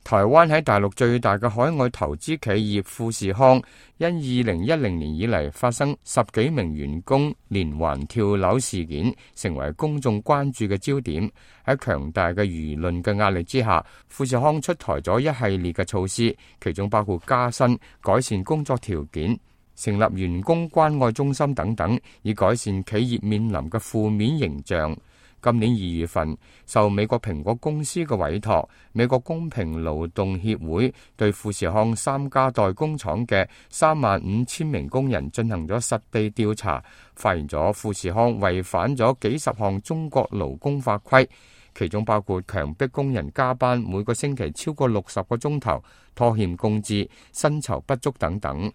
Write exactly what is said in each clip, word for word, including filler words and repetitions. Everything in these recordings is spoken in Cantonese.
台灣喺大陸最大嘅海外投資企業富士康，因二零一零年以嚟發生十幾名員工連環跳樓事件，成為公眾關注嘅焦點。喺強大嘅輿論嘅壓力之下，富士康出台咗一系列嘅措施，其中包括加薪、改善工作條件、成立員工關愛中心等等，以改善企業面臨嘅負面形象。今年二月份，受美國蘋果公司嘅委託，美國公平勞動協會對富士康三家代工廠嘅三萬五千名工人進行咗實地調查，發現咗富士康違反咗幾十項中國勞工法規，其中包括強迫工人加班每個星期超過六十個鐘頭、拖欠工資、薪酬不足等等。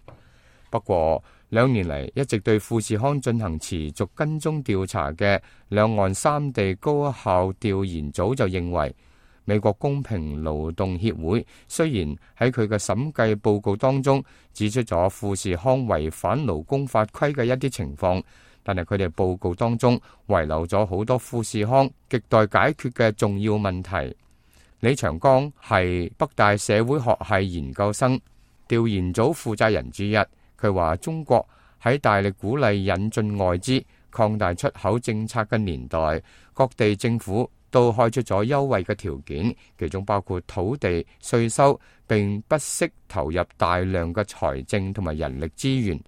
不過，兩年嚟一直對富士康進行持續跟蹤調查嘅兩岸三地高效調研組就認為，美國公平勞動協會雖然喺佢嘅審計報告當中指出咗富士康違反勞工法規嘅一啲情況，但係佢哋報告當中遺留咗好多富士康亟待解決嘅重要問題。李長江係北大社會學系研究生、調研組負責人之一。佢話：中國喺大力鼓勵引進外資、擴大出口政策嘅年代，各地政府都開出咗優惠嘅條件，其中包括土地、稅收，並不惜投入大量嘅財政同埋人力資源，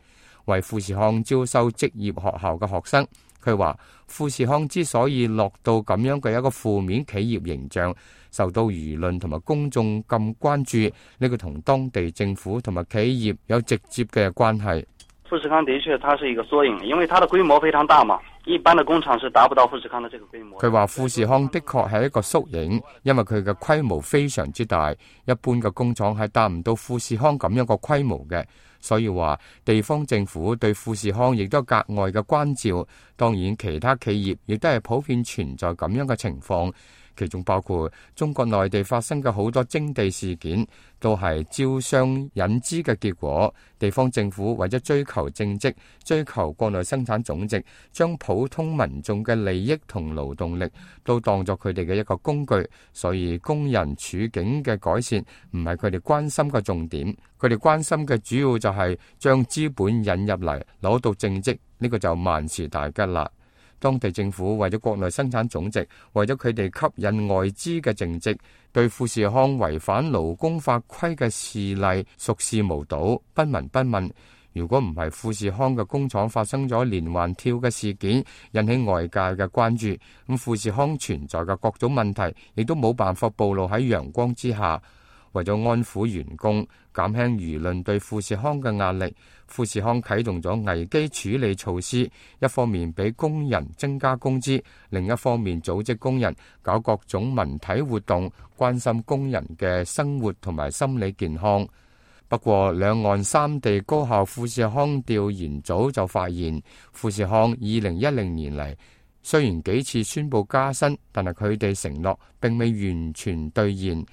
為富士康招收職業學校嘅學生。佢話：富士康之所以落到咁樣嘅一個負面企業形象，受到輿論同埋公眾咁關注，呢個同當地政府同埋企業有直接嘅關係。富士康的確，它是一個縮影，因為它的規模非常大嘛，一般的工廠是達不到富士康的這個規模。佢話富士康的確係一個縮影，因為佢嘅規模非常之大，一般嘅工廠係達唔到富士康咁樣個規模嘅。所以話地方政府對富士康亦都格外嘅關照，當然其他企業亦都係普遍存在咁樣嘅情況，其中包括中國內地發生嘅好多徵地事件，都係招商引資嘅結果。地方政府為咗追求政績、追求國內生產總值，將普通民眾嘅利益同勞動力都當作佢哋嘅一個工具，所以工人處境嘅改善唔係佢哋關心嘅重點，佢哋關心嘅主要就係將資本引入嚟攞到政績，呢個就萬事大吉啦。當地政府為咗國內生產總值，為咗佢哋吸引外資嘅政績，對富士康違反勞工法規嘅事例熟視無睹，不聞不問。如果唔係富士康嘅工廠發生咗連環跳嘅事件，引起外界嘅關注，咁富士康存在嘅各種問題，亦都冇辦法暴露喺陽光之下。為咗安撫員工，減輕輿論對富士康嘅壓力，富士康啟動咗危機處理措施，一方面俾工人增加工資，另一方面組織工人搞各種文體活動，關心工人嘅生活同埋心理健康。不過，兩岸三地高校富士康調研組就發現，富士康二零一零年嚟雖然幾次宣布加薪，但係佢哋承諾並未完全兌現。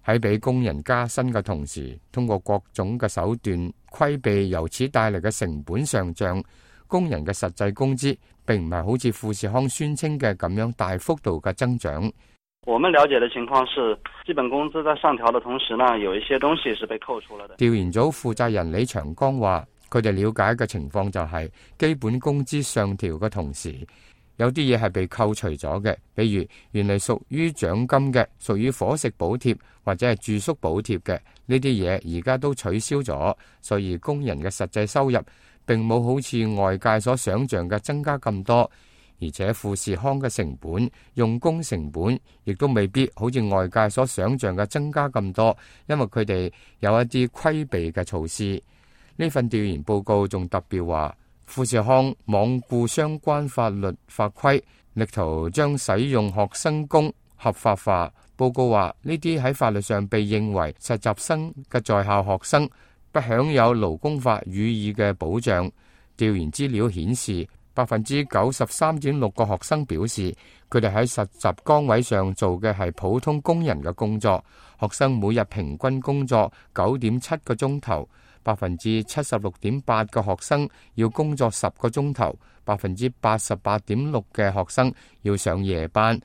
喺俾工人加薪嘅同時，通過各種嘅手段規避由此帶嚟嘅成本上漲，工人嘅實際工資並唔係好似富士康宣稱嘅咁樣大幅度嘅增長。我們了解的情況是，基本工資在上調的同時呢，有一些東西是被扣除了的。調研組負責人李長江話，佢哋了解嘅情況就係基本工資上調嘅同時，有啲嘢係被扣除咗嘅，比如原嚟屬於獎金嘅、屬於伙食補貼或者係住宿補貼嘅呢啲嘢，而家都取消咗，所以工人嘅實際收入並冇好似外界所想象嘅增加咁多，而且富士康嘅成本、用工成本亦都未必好似外界所想象嘅增加咁多，因為佢哋有一啲規避嘅措施。呢份調研報告仲特別話，富士康罔顧相關法律法規，力圖將使用學生工合法化。報告話，呢啲喺法律上被認為實習生嘅在校學生不享有勞工法予以嘅保障。調研資料顯示，百分之九十三點六個學生表示，佢哋喺實習崗位上做嘅係普通工人嘅工作。學生每日平均工作九點七個鐘頭。百分之七十六點八嘅學生要工作十個鐘頭，百分之八十八點六嘅學生要上夜班。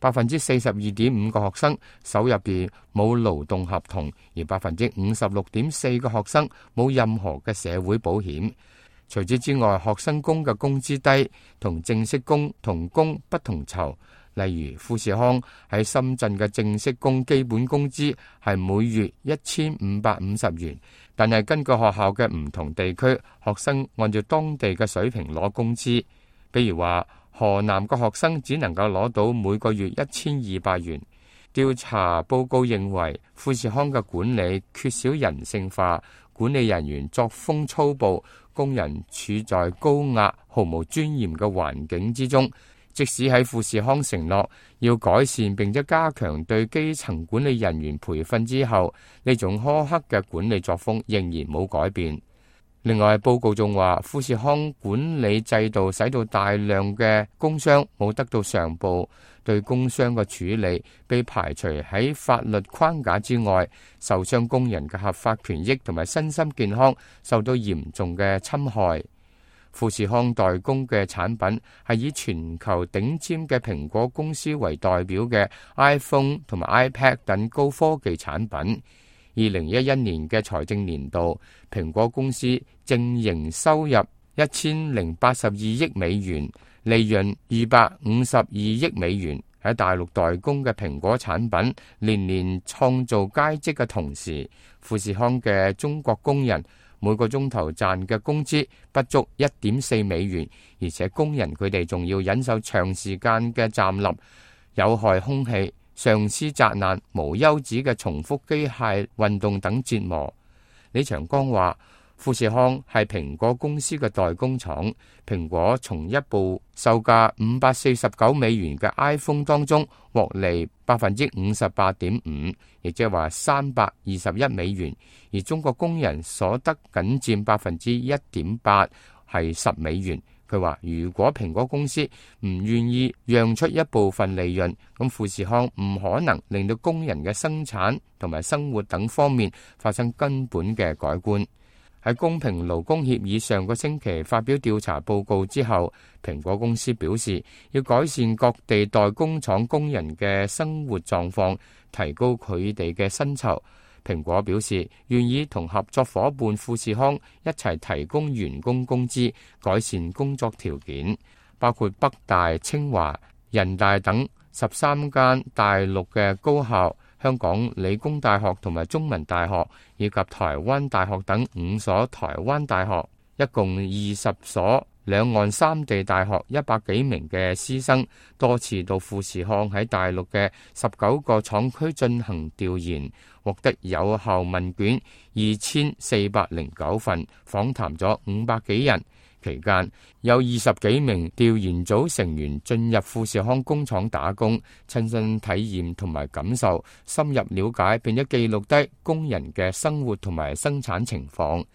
百分之四十二點五個學生手入邊冇勞動合同，而百分之五十六點四個學生冇任何嘅社會保險。除此之外，學生工嘅工資低，同正式工同工不同酬。例如富士康喺深圳嘅正式工基本工資係每月一千五百五十元，但係根據學校嘅唔同地區，學生按照當地嘅水平攞工資。比如話河南嘅學生只能夠攞到每個月一千二百元。調查報告認為，富士康嘅管理缺少人性化，管理人員作風粗暴，工人處在高壓、毫無尊嚴嘅環境之中。即使喺富士康承諾要改善並且加強對基層管理人員培訓之後，呢種苛刻嘅管理作風仍然冇改變。另外，報告仲話，富士康管理制度使到大量嘅工傷冇得到上報，對工傷嘅處理被排除喺法律框架之外，受傷工人嘅合法權益同埋身心健康受到嚴重嘅侵害。富士康代工嘅產品係以全球頂尖嘅蘋果公司為代表嘅 iPhone 同埋 iPad 等高科技產品。二零一一年嘅財政年度，蘋果公司淨營收入一千零八十二億美元，利潤二百五十二億美元。喺大陸代工嘅蘋果產品年年創造佳績嘅同時，富士康嘅中國工人每個鐘頭賺嘅工資不足一點四美元，而且工人佢哋仲要忍受長時間嘅站立、有害空氣、上司責難、無休止嘅重複機械運動等折磨。李長江話，富士康係蘋果公司嘅代工廠，蘋果從一部售價五百四十九美元嘅 iPhone 當中獲利百分之五十八點五，亦即係話三百二十一美元，而中國工人所得僅佔百分之一點八，係十美元。佢話如果蘋果公司唔願意讓出一部分利潤，咁富士康唔可能令到工人嘅生產同埋生活等方面發生根本嘅改觀。喺公平勞工協議上個星期發表調查報告之後，蘋果公司表示要改善各地代工廠工人嘅生活狀況，提高佢哋嘅薪酬。蘋果表示願意同合作夥伴富士康一齊提供員工工資，改善工作條件，包括北大、清華、人大等十三間大陸嘅高校、香港理工大學同埋中文大學以及台灣大學等五所台灣大學，一共二十所兩岸三地大學一百幾名嘅師生，多次到富士康喺大陸嘅十九個廠區進行調研，獲得有效問卷二千四百零九份，訪談咗五百幾人。期間有二十幾名調研組成員進入富士康工廠打工，親身體驗同埋感受，深入了解並且記錄低工人嘅生活同埋生產情況。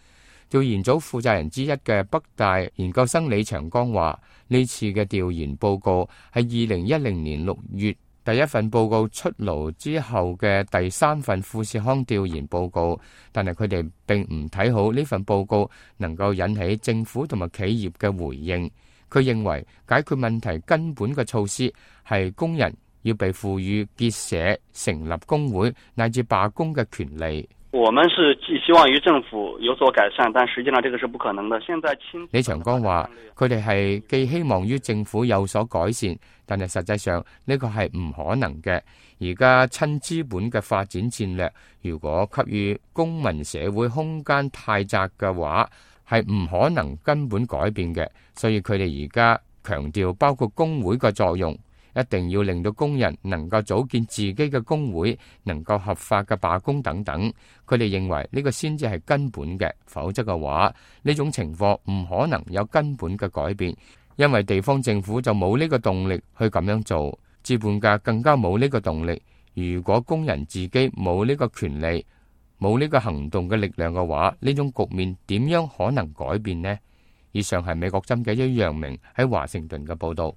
調研組負責人之一嘅北大研究生李長江話，呢次嘅調研報告係二零一零年六月第一份報告出爐之後嘅第三份富士康調研報告，但係佢哋並唔睇好呢份報告能夠引起政府同埋企業嘅回應。佢認為解決問題根本嘅措施係工人要被賦予結社、成立工會乃至罷工嘅權利。我們是寄希望於政府有所改善，但實際上這個是不可能的。現在李長江話，佢哋係寄希望於政府有所改善，但係實際上呢個係唔可能嘅。而家親資本嘅發展戰略，如果給予公民社會空間太窄嘅話，係唔可能根本改變嘅。所以佢哋而家強調包括工會嘅作用。一定要令到工人能夠組建自己嘅工會，能夠合法嘅罷工等等。佢哋認為呢個先至係根本嘅，否則嘅話呢種情況唔可能有根本嘅改變，因為地方政府就冇呢個動力去咁樣做，資本家更加冇呢個動力。如果工人自己冇呢個權利，冇呢個行動嘅力量嘅話，呢種局面點樣可能改變呢？以上係美國針嘅一楊明喺華盛頓嘅報道。